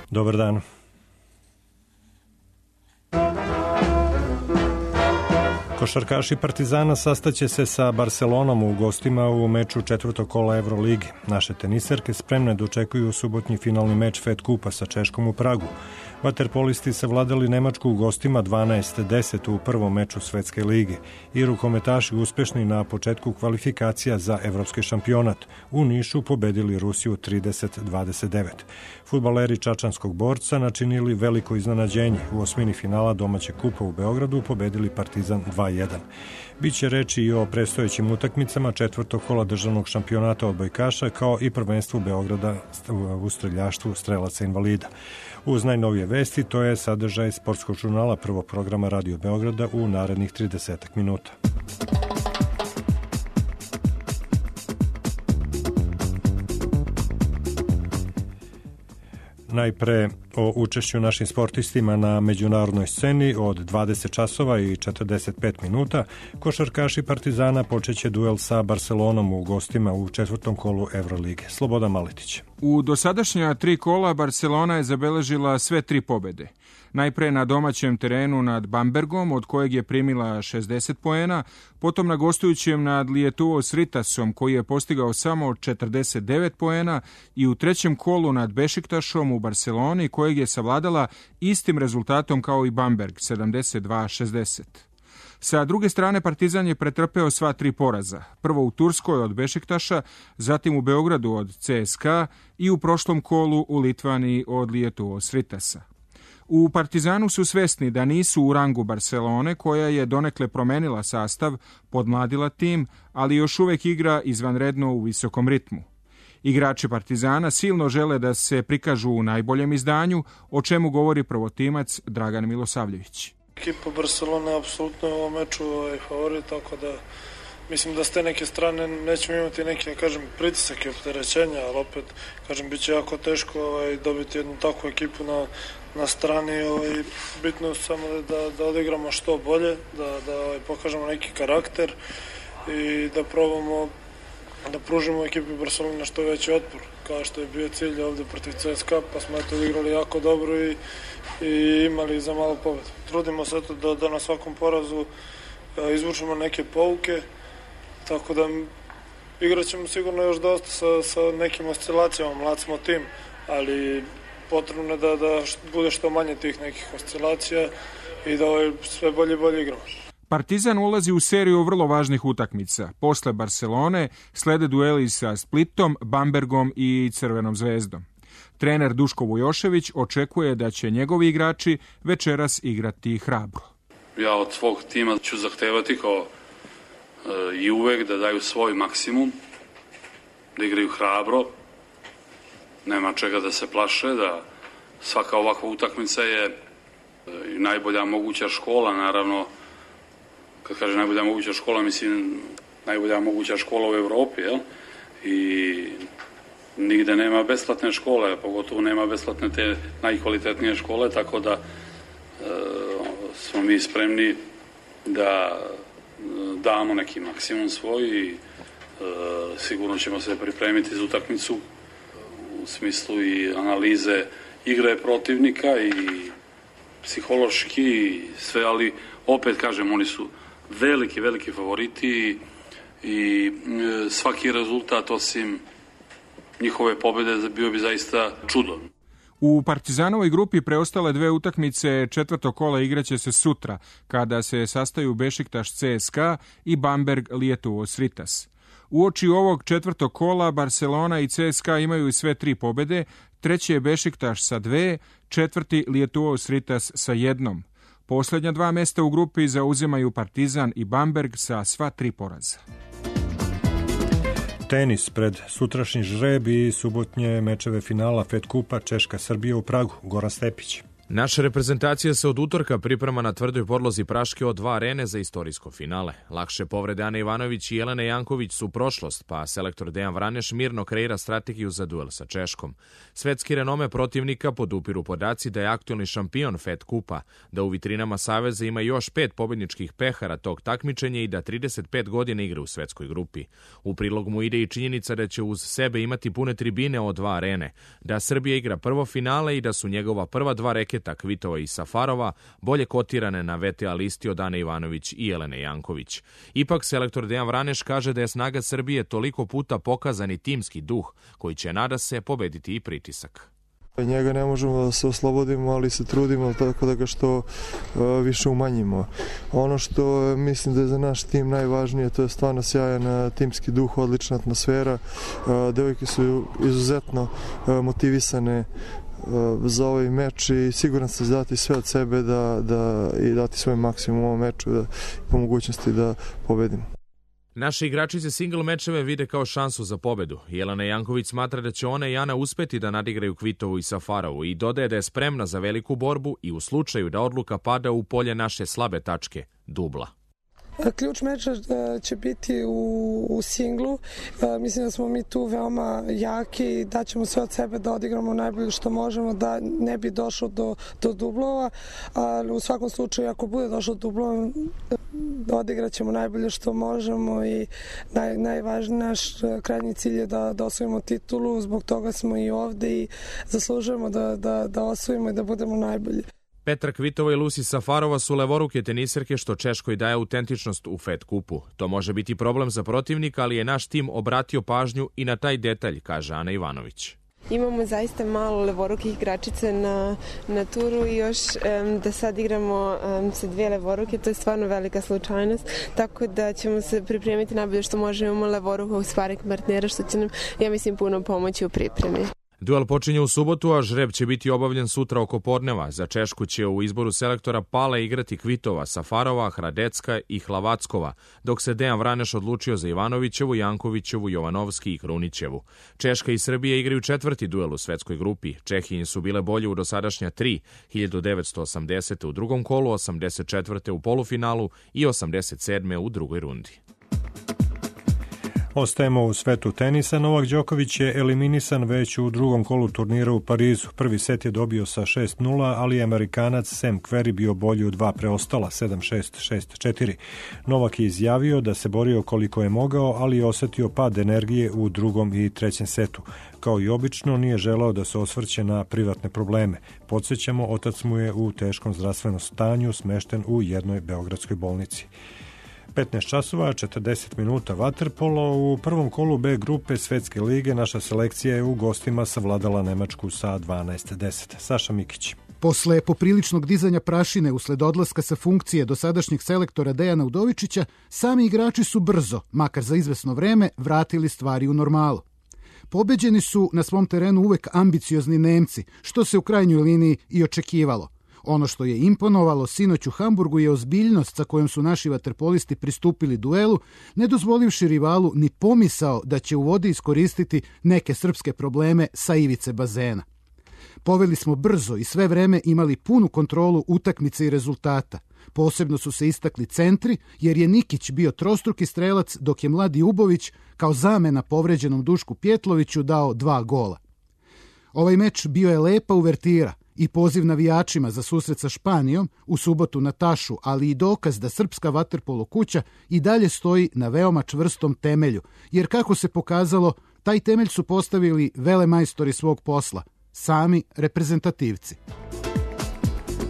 Dobar dan. Košarkaši Partizana sastaće se sa Barcelonom u gostima u meču četvrtog kola Evrolige. Naše teniserke spremne dočekuju subotnji finalni meč Fed Kupa sa Češkom u Pragu. Vaterpolisti savladali Nemačku u gostima 12-10 u prvom meču Svetske lige i rukometaši uspešni na početku kvalifikacija za evropski šampionat. U Nišu pobedili Rusiju 30-29. Fudbaleri čačanskog Borca načinili veliko iznenađenje. U osmini finala domaćeg kupa u Beogradu pobedili Partizan 2-1. Biće reči i o predstojećim utakmicama četvrtog kola državnog šampionata odbojkaša, kao i prvenstvu Beograda u streljaštvu strelaca invalida. Uz najnovije vesti, to je sadržaj sportskog žurnala prvog programa Radio Beograda u narednih 30 minuta. Najpre o učešću našim sportistima na međunarodnoj sceni. Od 20 časova i 45 minuta košarkaši Partizana počeće duel sa Barcelonom u gostima u četvrtom kolu Evrolige. Slobodan Maletić. U dosadašnja 3 kola Barcelona je zabeležila sve 3 pobede. Najpre na domaćem terenu nad Bambergom, od kojeg je primila 60 poena, potom na gostujućem nad Lietuos Ritasom, koji je postigao samo 49 poena, i u trećem kolu nad Bešiktašom u Barceloni, kojeg je savladala istim rezultatom kao i Bamberg, 72-60. Sa druge strane, Partizan je pretrpeo sva 3 poraza. Prvo u Turskoj od Bešiktaša, zatim u Beogradu od CSKA i u prošlom kolu u Litvaniji od Lietuos Ritasa. U Partizanu su svesni da nisu u rangu Barcelone, koja je donekle promenila sastav, podmladila tim, ali još uvek igra izvanredno u visokom ritmu. Igrači Partizana silno žele da se prikažu u najboljem izdanju, o čemu govori prvotimac Dragan Milosavljević. Ekipa Barcelona je apsolutno u ovom meču favorit, tako da mislim da s te neke strane nećemo imati neki, pritisak i opterećenja, ali opet, bit će jako teško dobiti jednu takvu ekipu na strani. Bitno je samo da odigramo što bolje, da pokažemo neki karakter i da probamo da pružimo ekipi Barcelona što veći otpor, kao što je bio cilj ovde protiv CSKA, pa smo odigrali jako dobro i imali za malo pobedu. Trudimo se da na svakom porazu izvučemo neke pouke, tako da igrat ćemo sigurno još dosta sa nekim oscilacijama, mlad smo tim, ali potrebno je da bude što manje tih nekih oscilacija i da sve bolje i bolje igramo. Partizan ulazi u seriju vrlo važnih utakmica. Posle Barcelone slede dueli sa Splitom, Bambergom i Crvenom zvezdom. Trener Duško Vujošević očekuje da će njegovi igrači večeras igrati hrabro. Ja od svog tima ću zahtevati kao i uvek da daju svoj maksimum, da igraju hrabro, nema čega da se plaše, da svaka ovakva utakmica je najbolja moguća škola, naravno. Kad kažem najbolja moguća škola, mislim najbolja moguća škola u Evropi, jel? I nigde nema besplatne škole, pogotovo nema besplatne te najkvalitetnije škole, tako da smo mi spremni da damo neki maksimum svoj i sigurno ćemo se pripremiti za utakmicu u smislu i analize igre protivnika i psihološki i sve, ali opet kažem, oni su veliki favoriti i svaki rezultat osim njihove pobede bio bi zaista čudo. U Partizanovoj grupi preostale 2 utakmice četvrtog kola igraće se sutra, kada se sastaju Bešiktaš CSKA i Bamberg Lietuos Ritas. Uoči ovog četvrtog kola Barcelona i CSKA imaju sve 3 pobede, treći je Bešiktaš sa 2, četvrti Lietuos Ritas sa 1. Poslednja 2 mesta u grupi zauzimaju Partizan i Bamberg sa sva 3 poraza. Tenis pred sutrašnji žreb i subotnje mečeve finala Fed Kupa Češka-Srbija u Pragu. Goran Stepić. Naša reprezentacija se od utorka priprema na tvrdoj podlozi Praške od 2 arene za istorijsko finale. Lakše povrede Ane Ivanović i Jelene Janković su prošlost, pa selektor Dejan Vraneš mirno kreira strategiju za duel sa Češkom. Svetski renome protivnika podupiru podaci da je aktuelni šampion Fed kupa, da u vitrinama Saveza ima još 5 pobedničkih pehara tog takmičenja i da 35 godina igra u svetskoj grupi. U prilog mu ide i činjenica da će uz sebe imati pune tribine od 2 arene, da Srbija igra prvo finale i da su njegova prva 2 reketa Kvitova i Safarova bolje kotirane na VTA listi od Ane Ivanović i Jelene Janković. Ipak selektor Dejan Vraneš kaže da je snaga Srbije toliko puta pokazani timski duh koji će, nada se, pobediti i pritisak. Njega ne možemo da se oslobodimo, ali se trudimo tako da ga što više umanjimo. Ono što mislim da je za naš tim najvažnije, to je stvarno sjajan timski duh, odlična atmosfera. Devojke su izuzetno motivisane za ovaj meč i siguran sam dati sve od sebe i dati svoj maksimum u ovom meču po mogućnosti da pobedimo. Naši igračice single mečeve vide kao šansu za pobedu. Jelena Janković smatra da će ona i Ana uspeti da nadigraju Kvitovu i Safarovu i dodaje da je spremna za veliku borbu i u slučaju da odluka pada u polje naše slabe tačke, dubla. Ključ meča će biti u singlu. Mislim da smo mi tu veoma jaki i da ćemo sve od sebe da odigramo najbolje što možemo, da ne bi došlo do dublova. Ali u svakom slučaju, ako bude došlo do dublova, odigrat ćemo najbolje što možemo i najvažniji naš krajnji cilj je da osvojimo titulu. Zbog toga smo i ovde i zaslužujemo da osvojimo i da budemo najbolji. Petra Kvitova i Lucy Safarova su levoruke teniserke što Češkoj daje autentičnost u Fed kupu. To može biti problem za protivnika, ali je naš tim obratio pažnju i na taj detalj, kaže Ana Ivanović. Imamo zaista malo levorukih igračica na turu i još da sad igramo sa 2 levoruke, to je stvarno velika slučajnost, tako da ćemo se pripremiti najbolje što možemo. Imamo levorukog sparing partnera što će nam, ja mislim, puno pomoći u pripremi. Duel počinje u subotu, a žreb će biti obavljen sutra oko podneva. Za Češku će u izboru selektora Pale igrati Kvitova, Safarova, Hradecka i Hlavackova, dok se Dejan Vraneš odlučio za Ivanovićevu, Jankovićevu, Jovanovski i Krunićevu. Češka i Srbija igraju 4. duel u svetskoj grupi. Čehinje su bile bolje u dosadašnja 3, 1980. u drugom kolu, 84. u polufinalu i 87. u drugoj rundi. Ostajemo u svetu tenisa. Novak Đoković je eliminisan već u drugom kolu turnira u Parizu. Prvi set je dobio sa 6-0, ali je Amerikanac Sam Querrey bio bolji u 2 preostala, 7-6, 6-4. Novak je izjavio da se borio koliko je mogao, ali je osetio pad energije u drugom i trećem setu. Kao i obično, nije želeo da se osvrće na privatne probleme. Podsjećamo, otac mu je u teškom zdravstvenom stanju, smešten u jednoj beogradskoj bolnici. 15 časova, 40 minuta vaterpolo. U prvom kolu B grupe Svetske lige naša selekcija je u gostima savladala Nemačku sa 12-10. Saša Mikić. Posle popriličnog dizanja prašine usled odlaska sa funkcije dosadašnjeg selektora Dejana Udovičića, sami igrači su brzo, makar za izvesno vreme, vratili stvari u normalu. Pobeđeni su na svom terenu uvek ambiciozni Nemci, što se u krajnjoj liniji i očekivalo. Ono što je imponovalo sinoć u Hamburgu je ozbiljnost sa kojom su naši vaterpolisti pristupili duelu, ne dozvolivši rivalu ni pomisao da će u vodi iskoristiti neke srpske probleme sa ivice bazena. Poveli smo brzo i sve vreme imali punu kontrolu utakmice i rezultata. Posebno su se istakli centri, jer je Nikić bio trostruki strelac, dok je mladi Ubović kao zamena povređenom Dušku Pjetloviću dao 2 gola. Ovaj meč bio je lepa uvertira i poziv navijačima za susret sa Španijom u subotu na Tašu, ali i dokaz da srpska vaterpolo kuća i dalje stoji na veoma čvrstom temelju, jer kako se pokazalo, taj temelj su postavili velemajstori svog posla, sami reprezentativci.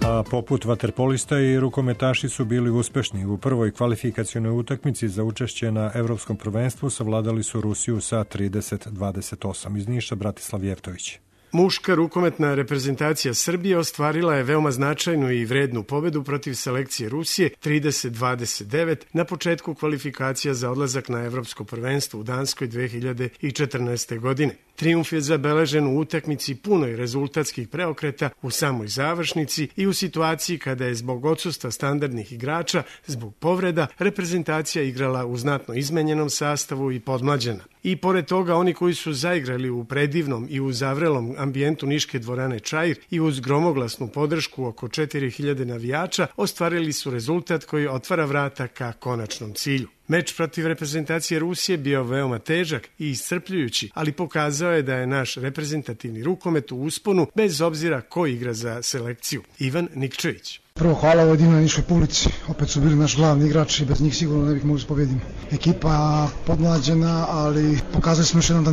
A poput vaterpolista i rukometaši su bili uspešni. U prvoj kvalifikacionoj utakmici za učešće na Evropskom prvenstvu savladali su Rusiju sa 30-28. Iz Niša Bratislav Jevtović. Muška rukometna reprezentacija Srbije ostvarila je veoma značajnu i vrednu pobedu protiv selekcije Rusije 30-29 na početku kvalifikacija za odlazak na Evropsko prvenstvo u Danskoj 2014. godine. Trijumf je zabeležen u utakmici punoj rezultatskih preokreta u samoj završnici i u situaciji kada je zbog odsustva standardnih igrača, zbog povreda, reprezentacija igrala u znatno izmenjenom sastavu i podmlađena. I pored toga, oni koji su zaigrali u predivnom i u zavrelom ambijentu Niške dvorane Čair i uz gromoglasnu podršku oko 4000 navijača ostvarili su rezultat koji otvara vrata ka konačnom cilju. Meč protiv reprezentacije Rusije bio veoma težak i iscrpljujući, ali pokazao je da je naš reprezentativni rukomet u usponu bez obzira ko igra za selekciju. Ivan Nikčević. Prvo hvala ovoj divnoj niškoj publici, opet su bili naš glavni igrači i bez njih sigurno ne bih mogli pobediti. Ekipa podmlađena, ali pokazali smo još jednom da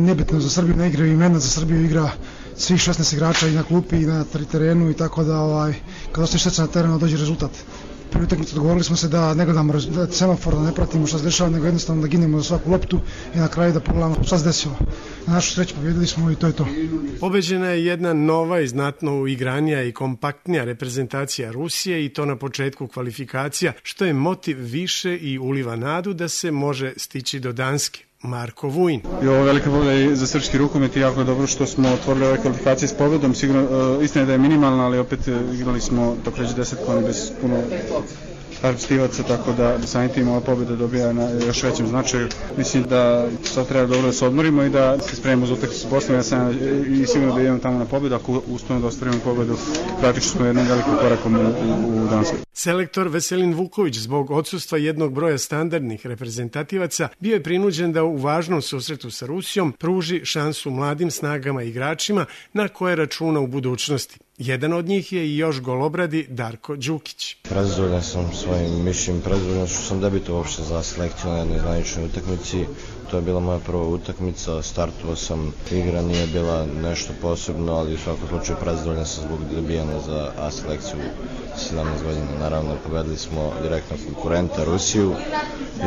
nebitno za Srbiju ne igraju imena, za Srbiju igra svih 16 igrača i na klupi i na terenu i tako da kad ostaje srce na terenu dođe rezultat. Prvi utakmicu dogovorili smo se da ne gledamo semafor, da ne pratimo šta se dešava, nego jednostavno da ginemo za svaku loptu i na kraju da pogledamo šta se desilo. Na našu sreću pobjedili smo i to je to. Pobeđena je jedna nova i znatno uigranija i kompaktnija reprezentacija Rusije i to na početku kvalifikacija, što je motiv više i uliva nadu da se može stići do Danske. Marko Vujin. I ovo velika pobjeda i za srpski rukomet i jako dobro što smo otvorili ove kvalifikacije s pobjedom. Sigurno, istina je da je minimalna, ali opet igrali smo tako reći 10 koni bez puno aktivaca, tako da samim tim ova pobjeda dobija na još većem značaju. Mislim da sad treba dobro da se odmorimo i da se spremimo za utakmicu s Bosnom. Ja sam i sigurno da idemo tamo na pobjedu. Ako uspemo da ostvarimo pobjedu, praktično smo jednim velikim korakom u Danskoj. Selektor Veselin Vuković zbog odsustva jednog broja standardnih reprezentativaca bio je prinuđen da u važnom susretu sa Rusijom pruži šansu mladim snagama i igračima na koje računa u budućnosti. Jedan od njih je i još golobradi Darko Đukić. Prezadovoljan sam svojim mišljenjem, prezadovoljan što sam debitovao uopšte za selekciju na jednoj zvaničnoj utakmici. To je bila moja prva utakmica, startovao sam, igra nije bila nešto posebno, ali u svakom slučaju prezadovoljan sam zbog dobijanja za A selekciju 17 godina. Naravno, pobedili smo direktno konkurenta Rusiju,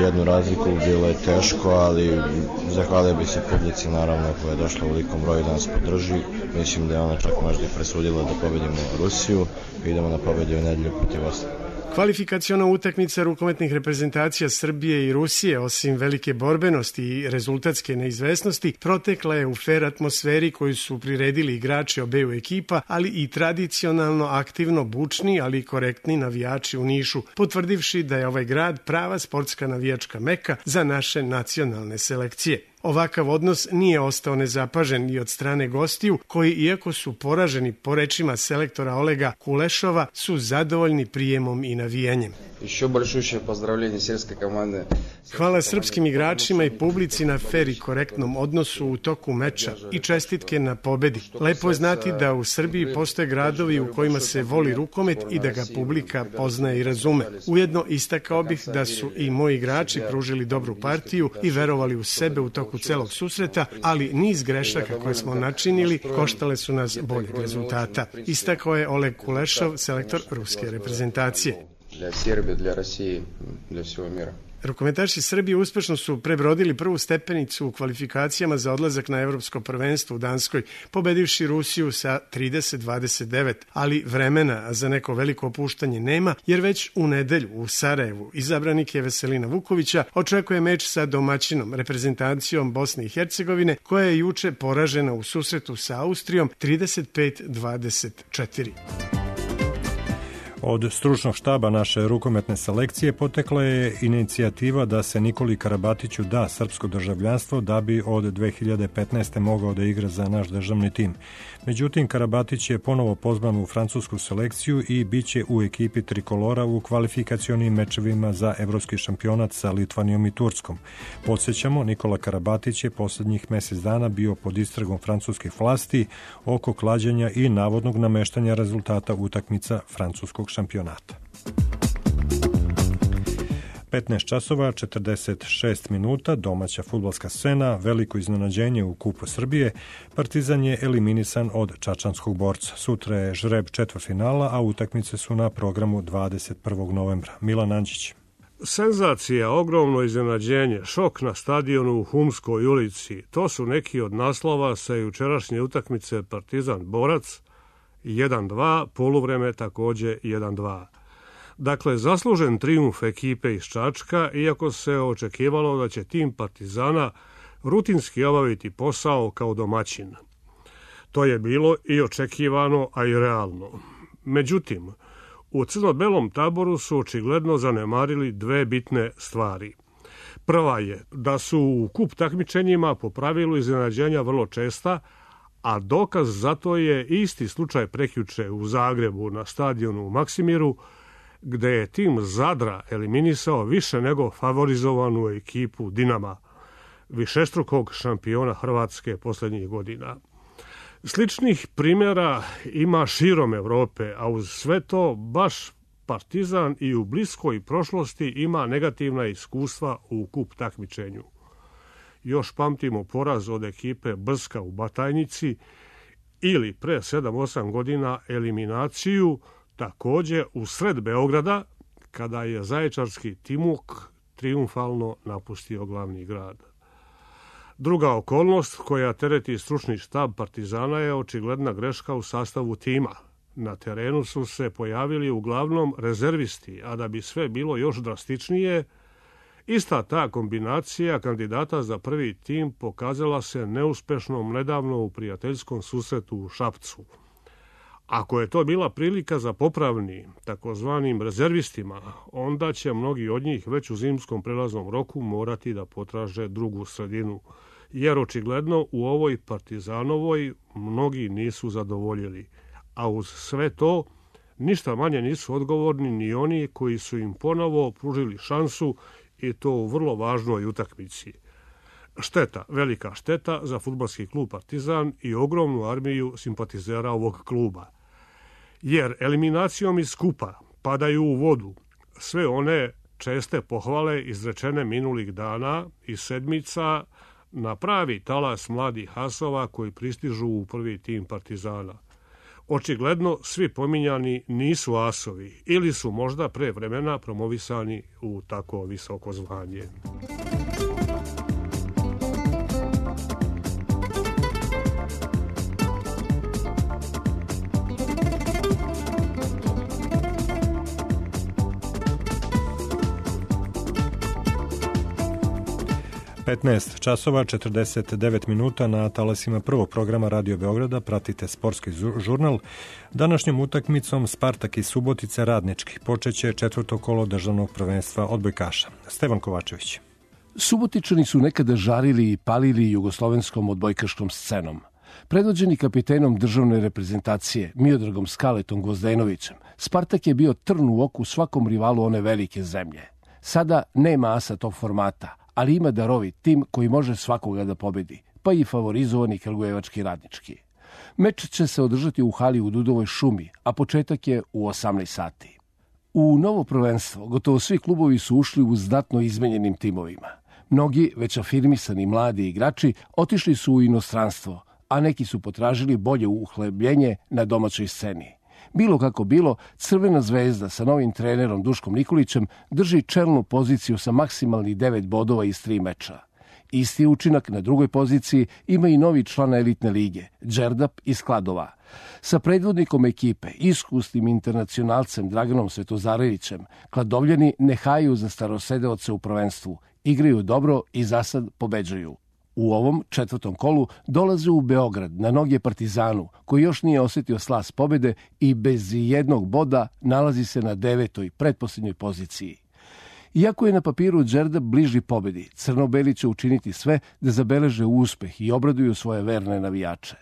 jednu razliku, bilo je teško, ali zahvalio bih se publici, naravno, koja je došla u velikom broju da nas podrži. Mislim da je ona čak možda i presudila da pobedimo Rusiju i idemo na pobedu u nedelju protiv Osla. Kvalifikaciona utakmica rukometnih reprezentacija Srbije i Rusije, osim velike borbenosti i rezultatske neizvesnosti, protekla je u fer atmosferi koju su priredili igrači obeju ekipa, ali i tradicionalno aktivno bučni, ali i korektni navijači u Nišu, potvrdivši da je ovaj grad prava sportska navijačka meka za naše nacionalne selekcije. Ovakav odnos nije ostao nezapažen i od strane gostiju, koji, iako su poraženi po rečima selektora Olega Kulešova, su zadovoljni prijemom i navijenjem. Hvala srpskim igračima i publici na fer i korektnom odnosu u toku meča i čestitke na pobedi. Lepo je znati da u Srbiji postoje gradovi u kojima se voli rukomet i da ga publika poznaje i razume. Ujedno istakao bih da su i moji igrači pružili dobru partiju i verovali u sebe u toku celog susreta, ali niz grešaka koje smo načinili koštale su nas boljeg rezultata. Istakao je Oleg Kulešov, selektor ruske reprezentacije. Rukometaši Srbije uspešno su prebrodili prvu stepenicu u kvalifikacijama za odlazak na evropsko prvenstvo u Danskoj, pobedivši Rusiju sa 30-29, ali vremena za neko veliko opuštanje nema, jer već u nedelju u Sarajevu izabranik je Veselina Vukovića očekuje meč sa domaćinom reprezentacijom Bosne i Hercegovine, koja je juče poražena u susretu sa Austrijom 35-24. Od stručnog štaba naše rukometne selekcije potekla je inicijativa da se Nikoli Karabatiću da srpsko državljanstvo da bi od 2015. mogao da igra za naš državni tim. Međutim, Karabatić je ponovo pozvan u francusku selekciju i bit će u ekipi trikolora u kvalifikacionim mečevima za evropski šampionat sa Litvanijom i Turskom. Podsjećamo, Nikola Karabatić je poslednjih mesec dana bio pod istragom francuskih vlasti oko klađenja i navodnog nameštanja rezultata utakmica francuskog šampionata. 15 časova, 46 minuta, domaća fudbalska scena, veliko iznenađenje u Kupu Srbije, Partizan je eliminisan od čačanskog Borca. Sutra je žreb četvrtfinala, a utakmice su na programu 21. novembra. Milan Anđić. Senzacija, ogromno iznenađenje, šok na stadionu u Humskoj ulici, to su neki od naslova sa jučerašnje utakmice Partizan-Borac, 1-2, poluvreme takođe 1-2. Dakle, zaslužen trijumf ekipe iz Čačka, iako se očekivalo da će tim Partizana rutinski obaviti posao kao domaćin. To je bilo i očekivano, a i realno. Međutim, u crno-belom taboru su očigledno zanemarili dve bitne stvari. Prva je da su u kup takmičenjima po pravilu iznenađenja vrlo česta, a dokaz za to je isti slučaj prekjuče u Zagrebu na stadionu u Maksimiru, gde je tim Zadra eliminisao više nego favorizovanu ekipu Dinama, višestrukog šampiona Hrvatske posljednjih godina. Sličnih primjera ima širom Evrope, a uz sve to baš Partizan i u bliskoj prošlosti ima negativna iskustva u kup takmičenju. Još pamtimo poraz od ekipe Brska u Batajnici ili pre 7-8 godina eliminaciju također u sred Beograda kada je zaječarski Timok triumfalno napustio glavni grad. Druga okolnost koja tereti stručni štab Partizana je očigledna greška u sastavu tima. Na terenu su se pojavili uglavnom rezervisti, a da bi sve bilo još drastičnije, ista ta kombinacija kandidata za prvi tim pokazala se neuspešnom nedavno u prijateljskom susretu u Šapcu. Ako je to bila prilika za popravni, takozvanim rezervistima, onda će mnogi od njih već u zimskom prelaznom roku morati da potraže drugu sredinu, jer očigledno u ovoj Partizanovoj mnogi nisu zadovoljili. A uz sve to, ništa manje nisu odgovorni ni oni koji su im ponovo pružili šansu i to u vrlo važnoj utakmici. Šteta, velika šteta za fudbalski klub Partizan i ogromnu armiju simpatizera ovog kluba. Jer eliminacijom iz kupa padaju u vodu sve one česte pohvale izrečene minulih dana i sedmica na pravi talas mladih asova koji pristižu u prvi tim Partizana. Očigledno svi pominjani nisu asovi ili su možda pre vremena promovisani u tako visoko zvanje. časova 49 minuta na talasima prvog programa Radio Beograda pratite sportski žurnal. Današnjom utakmicom Spartak i Subotica Radnički počeće četvrto kolo državnog prvenstva odbojkaša. Stevan Kovačević. Subotičani su nekada žarili i palili jugoslovenskom odbojkaškom scenom. Predvođeni kapitenom državne reprezentacije Miodragom Skaletom Gvozdenovićem, Spartak je bio trn u oku svakom rivalu one velike zemlje. Sada nema asa tog formata, ali ima darovit tim koji može svakoga da pobedi, pa i favorizovani kragujevački Radnički. Meč će se održati u hali u Dudovoj šumi, a početak je u 18 sati. U novo prvenstvo gotovo svi klubovi su ušli u znatno izmenjenim timovima. Mnogi već afirmisani mladi igrači otišli su u inostranstvo, a neki su potražili bolje uhlebljenje na domaćoj sceni. Bilo kako bilo, Crvena zvezda sa novim trenerom Duškom Nikolićem drži čelnu poziciju sa maksimalnih 9 bodova iz 3 meča. Isti učinak na drugoj poziciji ima i novi član elitne lige, Đerdap iz Kladova. Sa predvodnikom ekipe, iskusnim internacionalcem Draganom Svetozarevićem, Kladovljani ne haju za starosedeoce u prvenstvu, igraju dobro i zasad pobeđuju. U ovom četvrtom kolu dolaze u Beograd na noge Partizanu, koji još nije osjetio slas pobede i bez jednog boda nalazi se na 9. pretposljednjoj poziciji. Iako je na papiru Đerdap bliži pobedi, crno-beli će učiniti sve da zabeleže uspeh i obraduju svoje verne navijače.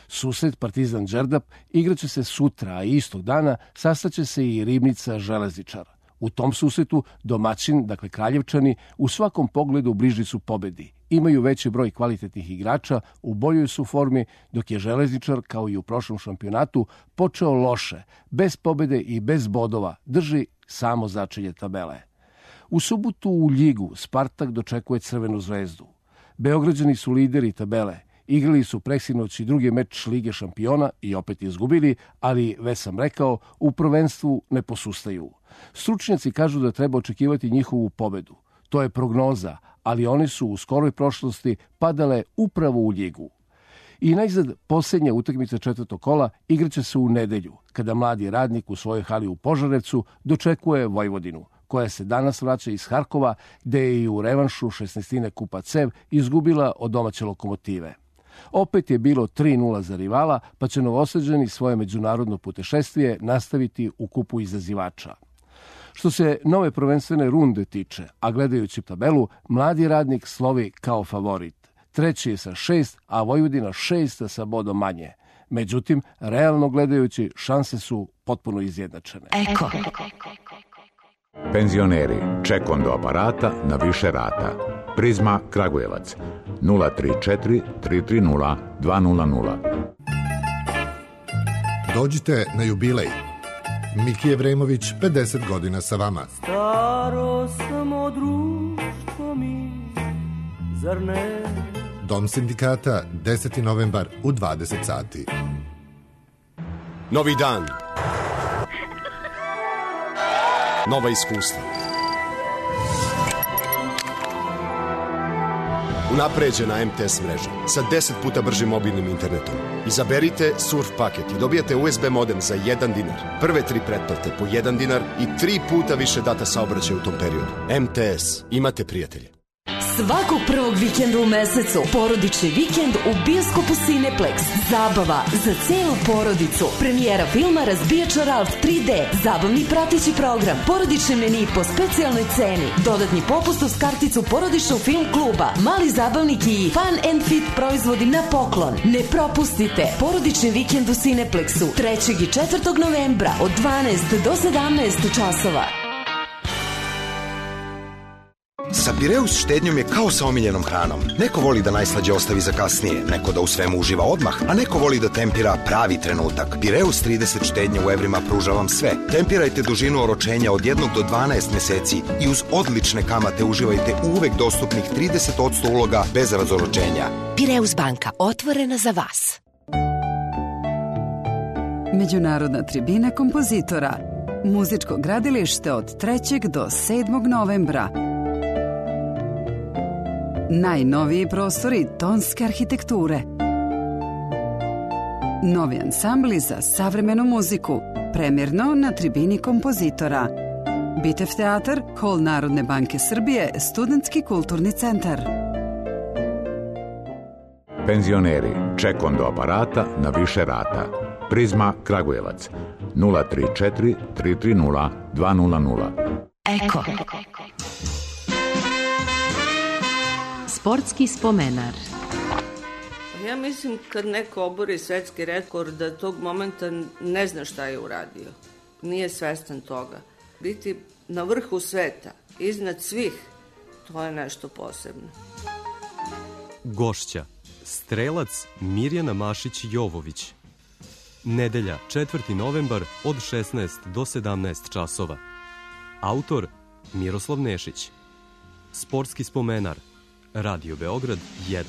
Susret Partizan Đerdap igraće se sutra, a istog dana sastaće se i Ribnica Železničar. U tom susretu domaćin, dakle Kraljevčani, u svakom pogledu bliži su pobedi. Imaju veći broj kvalitetnih igrača, u boljoj su formi, dok je Železničar, kao i u prošlom šampionatu, počeo loše, bez pobede i bez bodova, drži samo začelje tabele. U subotu u Ljigu Spartak dočekuje Crvenu zvezdu. Beograđani su lideri tabele, igrali su preksinoć i drugi meč Lige šampiona i opet izgubili, ali, već sam rekao, u prvenstvu ne posustaju. Stručnjaci kažu da treba očekivati njihovu pobedu. To je prognoza, ali one su u skoroj prošlosti padale upravo u Ljigu. I najzad posljednja utakmica četvrtog kola igraće se u nedelju, kada mladi Radnik u svojoj hali u Požarevcu dočekuje Vojvodinu, koja se danas vraća iz Harkova, gde je i u revanšu 16. kupa CEV izgubila od domaće Lokomotive. Opet je bilo 3-0 za rivala, pa će Novosađani svoje međunarodno putešestvije nastaviti u kupu izazivača. Što se nove prvenstvene runde tiče, a gledajući tabelu, Mladi radnik slovi kao favorit. Treći je sa 6, a Vojvodina 6 sa bodom manje. Međutim, realno gledajući, šanse su potpuno izjednačene. Eko. Penzioneri, ček do aparata na više rata. Prizma Kragujevac 034 330 200. Dođite na jubilej. Miki Jevremović, 50 godina sa vama. Staro samo društvo mi, zar ne? Dom sindikata, 10. novembar u 20 sati. Novi dan. Nova iskustva. Unapređena MTS mreža sa 10 puta bržim mobilnim internetom. Izaberite surf paket i dobijete USB modem za 1 dinar. Prve 3 pretplate po 1 dinar i 3 puta više data saobraćaja u tom periodu. MTS. Imate prijatelje. Svakog prvog vikenda u mesecu porodični vikend u bioskopu Cineplex. Zabava za celu porodicu. Premijera filma Razbijača Ralf 3D. Zabavni prateći program. Porodični meni po specijalnoj ceni. Dodatni popust uz karticu porodičnog film kluba. Mali zabavnik i Fun and Fit proizvodi na poklon. Ne propustite porodični vikend u Cineplexu 3. i 4. novembra od 12 do 17 časova. Sa Pireus štednjom je kao sa omiljenom hranom. Neko voli da najslađe ostavi za kasnije, neko da u svemu uživa odmah, a neko voli da tempira pravi trenutak. Pireus 30 štednje u evrima pruža vam sve. Tempirajte dužinu oročenja od 1 do 12 meseci i uz odlične kamate uživajte uvek dostupnih 30% uloga bez razoročenja. Pireus banka, otvorena za vas. Međunarodna tribina kompozitora. Muzičko gradilište od 3. do 7. novembra. Najnoviji prostori tonske arhitekture. Novi ansambli za savremenu muziku. Premjerno na tribini kompozitora. Bitev teatar, Hol Narodne banke Srbije, Studentski kulturni centar. Penzioneri, ček do aparata na više rata. Prizma Kragujevac 034 330 200. Eko. Sportski spomenar. Ja mislim kad neko obori svetski rekord da tog momenta ne zna šta je uradio. Nije svestan toga. Biti na vrhu sveta, iznad svih, to je nešto posebno. Gošća, strelac Mirjana Mašić-Jovović. Nedelja, 4. novembar od 16 do 17 časova. Autor Miroslav Nešić. Sportski spomenar. Radio Beograd 1.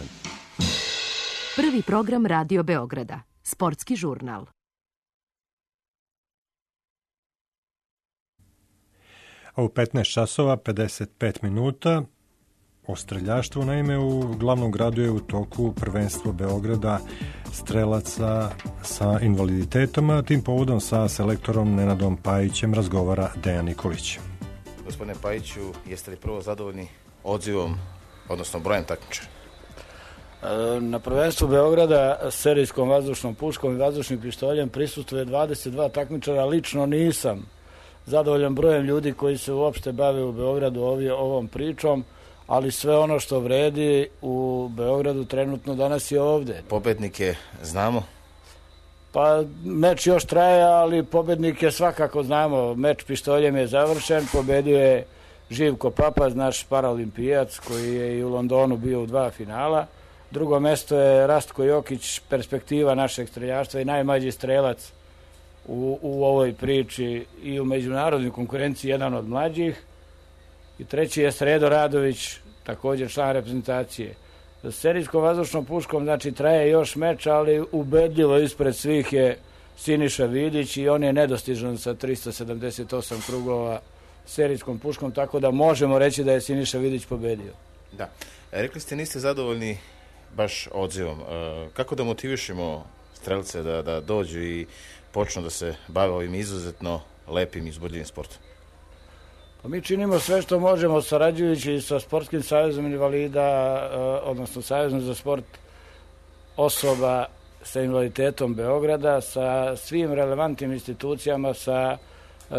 Prvi program Radio Beograda. Sportski žurnal. A u 15 časova 55 minuta o streljaštvu, naime, u glavnom gradu je u toku prvenstvo Beograda strelaca sa invaliditetom, a tim povodom sa selektorom Nenadom Pajićem razgovara Dejan Nikolić. Gospodine Pajiću, jeste li prvo zadovoljni odzivom, odnosno brojem takmičara? Na prvenstvu Beograda serijskom vazdušnom puškom i vazdušnim pištoljem prisustuje 22 takmičara. Lično nisam zadovoljan brojem ljudi koji se uopšte bave u Beogradu ovom pričom, ali sve ono što vredi u Beogradu trenutno danas je ovde. Pobednike znamo? Pa meč još traje, ali pobednike svakako znamo. Meč pištoljem je završen, pobedio je Živko Papaz, naš paralimpijac koji je i u Londonu bio u 2 finala. Drugo mesto je Rastko Jokić, perspektiva našeg streljaštva i najmlađi strelac u ovoj priči i u međunarodnoj konkurenciji, jedan od mlađih. I treći je Sredo Radović, također član reprezentacije. Sa serijskom vazdušnom puškom, znači, traje još meč, ali ubedljivo ispred svih je Siniša Vidić i on je nedostižan sa 378 krugova serijskom puškom, tako da možemo reći da je Siniša Vidić pobedio. Da. Rekli ste niste zadovoljni baš odzivom. Kako da motivišemo strelce da dođu i počnu da se bave ovim izuzetno lepim i uzbudljivim sportom? Pa mi činimo sve što možemo, sarađujući sa Sportskim savezom invalida, odnosno Savezom za sport osoba sa invaliditetom Beograda, sa svim relevantnim institucijama, sa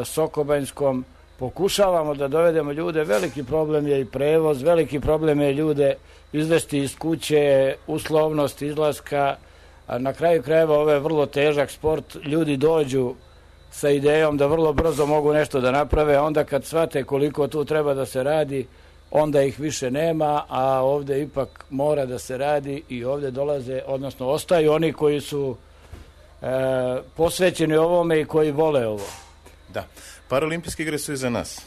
Sokobanjskom pokušavamo da dovedemo ljude, veliki problem je i prevoz, veliki problem je ljude izvesti iz kuće, uslovnost izlaska, a na kraju krajeva ovo je vrlo težak sport, ljudi dođu sa idejom da vrlo brzo mogu nešto da naprave, onda kad shvate koliko tu treba da se radi, onda ih više nema, a ovde ipak mora da se radi i ovde dolaze, odnosno ostaju oni koji su posvećeni ovome i koji vole ovo. Da, Paraolimpijske igre su iza nas.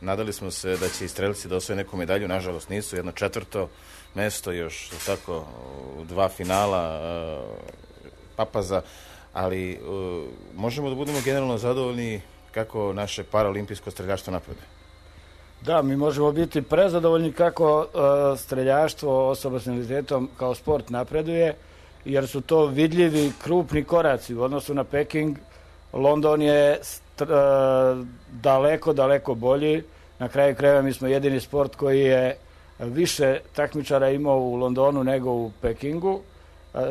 Nadali smo se da će i strelci da osvoje neku medalju, nažalost nisu, 1/4 mesto, još tako 2 finala papaza, ali možemo da budemo generalno zadovoljni kako naše paraolimpijsko streljaštvo napreduje. Da, mi možemo biti prezadovoljni kako streljaštvo osoba s invaliditetom kao sport napreduje, jer su to vidljivi krupni koraci u odnosu na Peking. London je daleko bolji. Na kraju krajeva mi smo jedini sport koji je više takmičara imao u Londonu nego u Pekingu.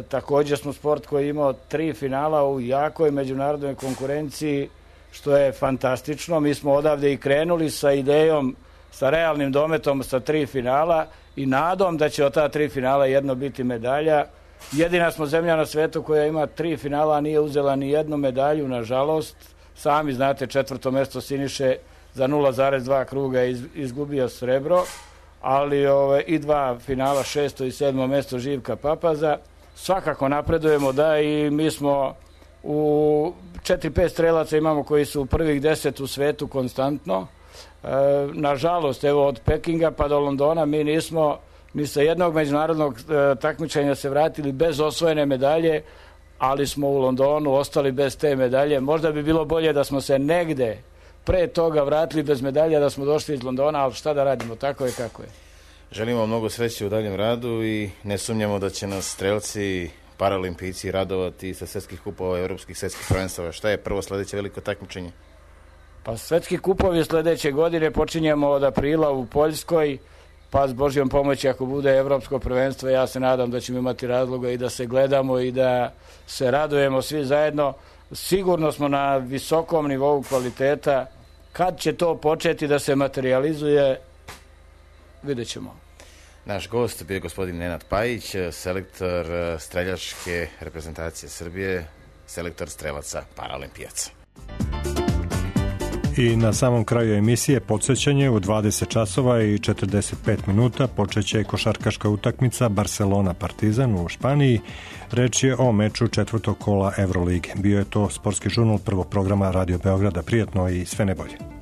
Također smo sport koji je imao 3 finala u jakoj međunarodnoj konkurenciji, što je fantastično. Mi smo odavde i krenuli sa idejom, sa realnim dometom sa 3 finala i nadom da će od ta 3 finala jedno biti medalja. Jedina smo zemlja na svetu koja ima 3 finala, a nije uzela ni jednu medalju, nažalost. Sami znate, 4. mesto Siniše za 0,2 kruga je izgubio srebro, ali i 2 finala, 6. i 7. mesto Živka Papaza. Svakako napredujemo, da, i mi smo u 4-5 strelaca imamo koji su u prvih 10 u svetu konstantno. Nažalost, evo od Pekinga pa do Londona mi nismo ni sa jednog međunarodnog takmičenja se vratili bez osvojene medalje, ali smo u Londonu ostali bez te medalje. Možda bi bilo bolje da smo se negde pre toga vratili bez medalja, da smo došli iz Londona, ali šta da radimo, tako je kako je. Želimo mnogo sreće u daljem radu i ne sumnjamo da će nas strelci, paraolimpijci radovati sa svetskih kupova, evropskih svetskih prvenstava. Šta je prvo sledeće veliko takmičenje? Pa svetski kupovi sledeće godine počinjemo od aprila u Poljskoj, pa s Božjom pomoći ako bude evropsko prvenstvo, ja se nadam da ćemo imati razloga i da se gledamo i da se radujemo svi zajedno. Sigurno smo na visokom nivou kvaliteta. Kad će to početi da se materializuje, vidjet ćemo. Naš gost bio gospodin Nenad Pajić, selektor streljačke reprezentacije Srbije, selektor strelaca paraolimpijaca. I na samom kraju emisije podsjećanje, u 20 časova i 45 minuta počeće košarkaška utakmica Barcelona-Partizan u Španiji. Reč je o meču 4. kola Evrolige. Bio je to sportski žurnal prvog programa Radio Beograda. Prijatno i sve najbolje.